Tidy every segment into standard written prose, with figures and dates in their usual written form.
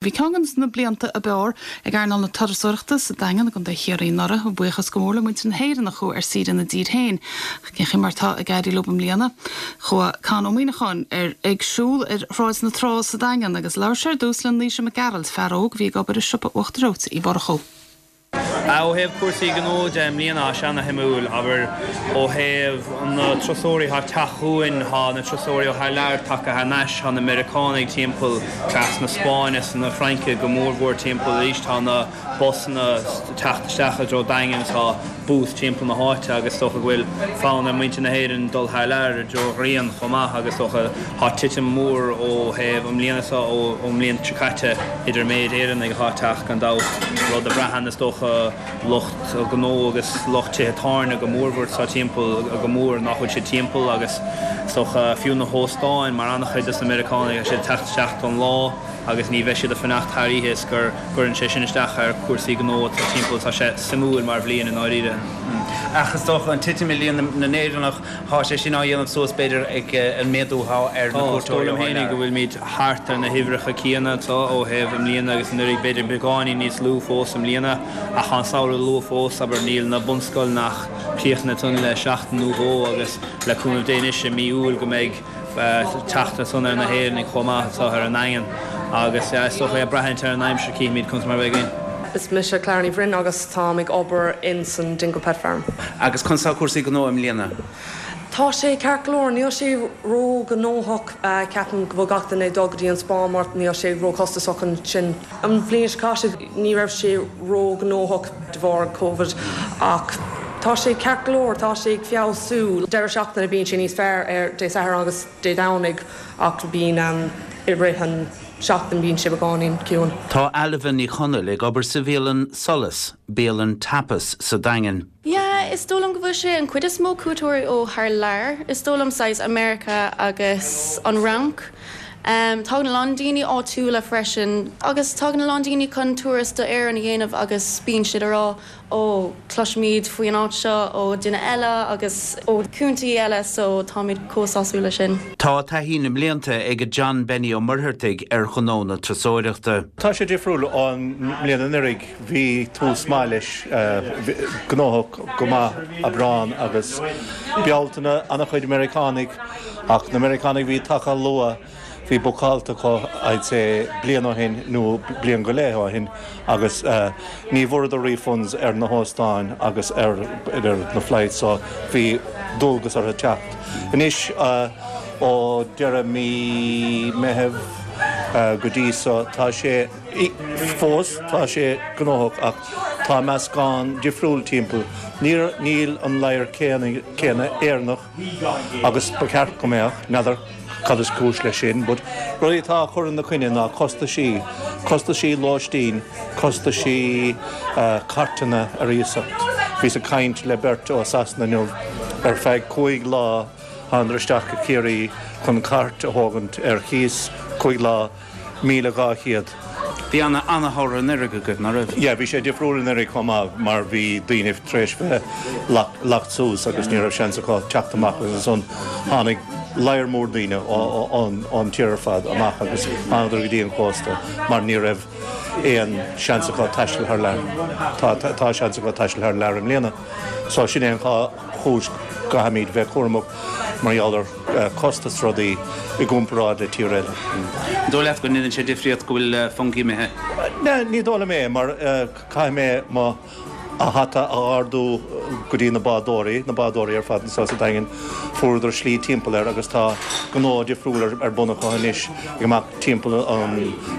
Bhí ceann de na blianta ab fhearr ag earnáil na turasóireachta sa Daingean i gContae Chiarraí anuraidh, a bhuíochas go mór le muintir na hÉireann a chuaigh ar saoire ina dtír féin. Ach cén chaoi mar atá ag éirí leo i mbliana? Chuaigh Con Ó Muíneacháin ar ag siúl ar Shráid na Trá sa Daingean agus labhair sé ar dtús le Naoise Mac Gearailt, fear óg a bhí ag obair i siopa Uachtar Reoite Uí Mhurchú. Ó thaobh cúrsaí gnó de i mbliana, tá sé ana-shuimiúil, abair, ó thaobh na turasóirí atá ag teacht chugainn, tá na turasóirí ó thar lear tagtha thar n-ais, tá na Meiriceánaigh timpeall, cleas na Spáinne is na Fraince go mórmhór timpeall arís, tá na busanna ag teacht isteach i dtreo Daingean, tá booths timpeall na háite agus is dócha go bhfuil fonn ar muintir na hÉireann dul thar lear i dtreo ghrian chomh maith agus is dócha tá titim mór ó thaobh an mbliana seo ón mbliain seo caite idir an méid Éireannaigh atá ag teacht gan dabht, rud a bhraitheann is dócha lucht gnó agus lucht tithe tábhairne go mórmhór atá timpeall go mór nach bhfuil siad timpeall agus is dócha fiú na hóstáin mar an-chuid dos na Meiriceánaigh tá siad ag teacht isteach don lá agus ní bheidh siad ag fanacht thar oíche is gur gcuireann sé sin isteach ar chúrsaí gnó atá timpeall. Tá sé suimiúil mar bhliain i ndáiríre. Ach is dócha an titim i líon na nÉireannach, tá sé sin á dhéanamh suas b'fhéidir ag an méadú atá ar na Tá, is dóigh cuairteoirí liom ó thar fhéinig lear. go bhfuilimid thart ar na huimhreacha céanna anseo ó thaobh i mbliana agus anuraidh, b'fhéidir beagáinín níos lú fós i mbliana ach tá an samhradh luath fós, abair níl na bunscoileanna ach críochnaithe ansan le seachtain nó dhó agus le cúnamh Dé anois i mí Iúil go mbeidh teacht ansan ar na hÉireannaigh chomh maith anseo ar an nDaingean agus is dócha ag braithint ar an aimsir cífimid conas mar a bheidh againn. Is mise Clara Ní Bhroin agus táim ag obair in san Dingle Pet Farm. Agus conas tá cúrsaí gnó i mbliana? Tá sé ceart go leor, níl sé ró-ghnóthach, ceapaim go bhfuil gach duine ag dul go dtí an spá mar níl sé ró-chostasach ansin. An bhliain seo caite ní raibh sé ró-ghnóthach de bharr Covid ach tá sé ceart go leor, tá sé ag feabhsú. Deireadh seachtaine bíonn sé níos fearr ar Dé Sathairn agus Dé Domhnaigh ach bíonn i rith an seachtain bíonn sé beagáinín ciúin. Tá Ailbhe Ní Chonaill ag obair sa bhialann Solas, bialann tapas sa Daingean. Yeah, is dóigh liom go bhfuil sé an cuid is mó cuairteoirí ó thar lear, is dóigh liom, saghas America agus an Fhrainc. Tagann a lán daoine áitiúla freisin agus tagann a lán daoine chun turas do Éirinn a dhéanamh agus bíonn siad a rá ó cloisimid faoi an áit seo ó duine eile agus ó cúntaí eile so táimid chomh sásúil leis sin. Tá taithí na mblianta ag John Benny Ó Muircheartaigh ar ghnó na turasóireachta. Tá sé difriúil ón mbliain anuraidh. Bhí tús maith leis, gnóthach go maith Aibreán agus Bealtaine, an-chuid Meiriceánaigh ach na Meiriceánaigh a bhí tagtha luath, bhí bookáilte acu I'd say bliain ó shin nó bliain go leith ó shin agus ní bhfuaireadar refunds ar na hóstáin agus ar na flights so bhí dualgas orthu teacht. Anois ó deireadh mí Meitheamh go dtí so tá sé Fós tá sé gnóthach ach tá meascán difriúil timpeall. Níl an ladhar céanna Éireannach agus ba cheart go mbeadh, n'fheadar cad is cúis leis sin but rudaí atá á chur ina coinne ná costaisí, costaisí lóistín, costaisí cairteanna ar iasacht. Bhíos ag caint le beirt ó Sasana inniu ar feadh 5 lá thánadar isteach go Ciarraí chun cairt a thógaint ar chíos 5 lá 1,200. Bhí ana ana-shamhradh anuraidh agaibh, ná raibh? Yeah, bhí sé difriúil anuraidh chomh maith mar bhí daoine tar éis bheith locked suas agus ní raibh seans acu teacht amach agus ansan tháinig ladhar mór daoine ón tír ar fad amach agus thánadar go dtí an cósta mar ní raibh aon seans acu taisteal thar lear. Tá tá seans acu taisteal thar lear i mbliana. So sin é an chúis go gcaithfimid bheith cúramach mar gheall ar costas rudaí i gcomparáid le tír eile. An dóigh leat go ndéanann sé difríocht go bhfuil Fungie imithe? Ní dóigh liom é mar caithfidh mé mo hata a ardú go dtí na bádóirí, na bádóirí ar fad anseo sa Daingean, fuaireadar slí timpeall air agus tá gnó difriúil ar bun acu anois ag imeacht timpeall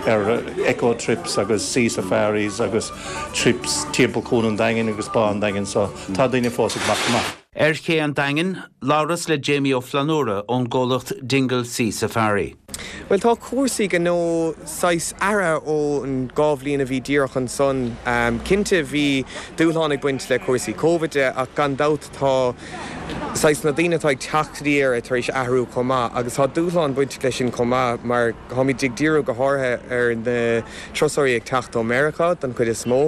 ar eco trips agus sea safaris agus trips timpeall Cuan an Daingin agus Bá an Daingin so tá daoine fós ag imeacht amach. Ar ché an Daingin, labhras le Jamie Ó Flannúra ón gcomhlacht Dingle Sea Safari. Bhuel, tá cúrsaí gnó saghas athraithe ón dá bhliain a bhí díreach ansan. Cinnte, bhí dúshlán ag baint le cúrsaí Covid de ach gan dabht tá. Saghas na daoine atá ag teacht go dtí Éire tar éis athrú chomh maith agus tá dúshlán bainteach leis sin chomh maith mar táimid ag díriú go háirithe ar na turasóirí ag teacht ó Meiriceá don chuid is mó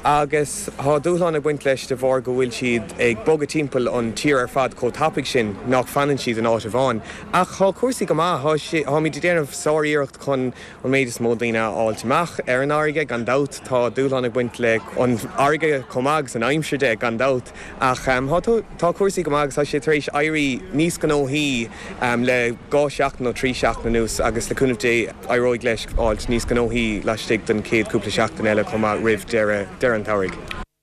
agus tá dúshlán ag baint leis de bharr go bhfuil siad ag bogadh timpeall an tír ar fad chomh tapaidh sin nach fanann siad in áit amháin. Ach tá cúrsaí go maith, táimid ag déanamh sár-iarracht chun an méid is mó daoine a fháilt amach ar an fharraige, gan dabht. Tá dúshlán ag baint le an fharraige chomh maith agus an aimsir de, gan dabht. Ach tá cúrsaí go maith agus tá sé tar éis éirí níos gnóthaí le dhá sheachtain nó trí seachtain anuas agus le cúnamh Dé éireoidh leis fháilt níos gnóthaí laistigh den chéad cúpla seachtain eile chomh maith roimh deireadh an tsamhraidh.